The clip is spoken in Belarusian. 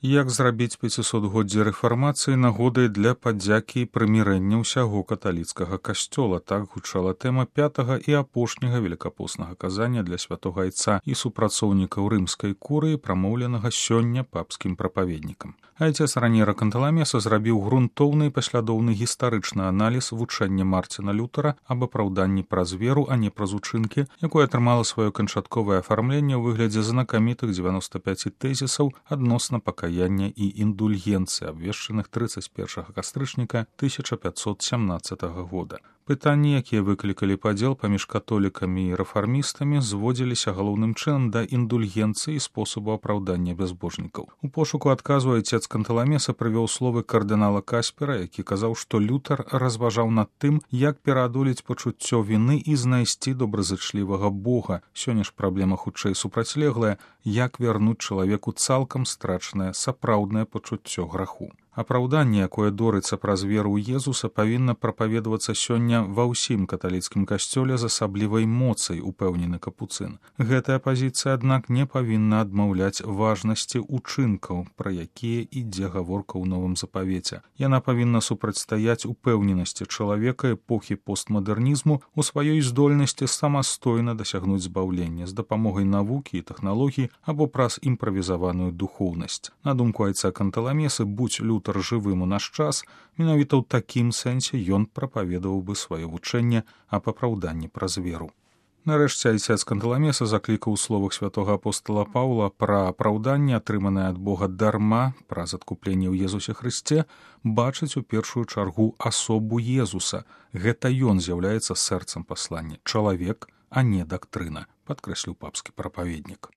Як зрабіць 500годдзе рэфармацыі нагодай для падзякі і прымірэння ўсяго каталіцкага касцёла, так гучала тэма 5-га і апошняга велікапоснага казання для святога айца і супрацоўнікаў рымскай курыі, прамоўленага сёння папскім прапаведнікам. Айцец Раньера Канталамеса зрабіў грунтоўны і паслядоўны гістарычны аналіз вучэння Марціна Лютара аб апраўданні праз веру, а не праз учынкі, якое атрымала сваё канчатковае афармленне ў выглядзе знакамітых 95 тэзісаў адносна пакаяння і індульгенцыі, абвешчаных 31 кастрычніка 1517 года. Пытанні, якія выклікалі падзел паміж католікамі і рэфармістамі, зводзіліся галоўным чынам да індульгенцыі і спосабу апраўдання бязбожнікаў. У пошуку адказу айцец Канталамеса прывёў словы кардынала Каспера, які казаў, што Лютар разважаў над тым, як пераадолець пачуццё віны і знайсці добразычлівага Бога. Сёння ж праблема хутчэй супрацьлеглая, як вярнуць чалавеку цалкам страчанае сапраўднае пачуццё граху. Апраўданне, якое дорыцца праз веру ў Езуса, павінна прапаведавацца сёння ва ўсім каталіцкім касцёле з асаблівай моцай, упэўнены капуцын. Гэтая пазіцыя, аднак, не павінна адмаўляць важнасці ўчынкаў, пра якія ідзе гаворка ў новым запавеце. Яна павінна супрацьстаяць упэўненасці чалавека эпохі постмадэрнізму ў сваёй здольнасці самастойна дасягнуць збаўлення з дапамогай навукі і тэхналогій або праз імправізаваную духоўнасць. На думку айца Канталамесы, будь Лютар жывым у наш час, менавіта ў такім сэнсе ён прапаведаваў бы сваё вучэнне аб апраўданні праз веру. Нарэшце айцец Канталамеса заклікаў у словах святога апостола Паўла пра апраўданне, атрыманае ад Бога дарма, праз адкупленне ў Езусе Хрысце, бачыць у першую чаргу асобу Езуса. Гэта ён з'яўляецца сэрцам паслання. Чалавек, а не дактрына, падкрэсліў папскі прапаведнік.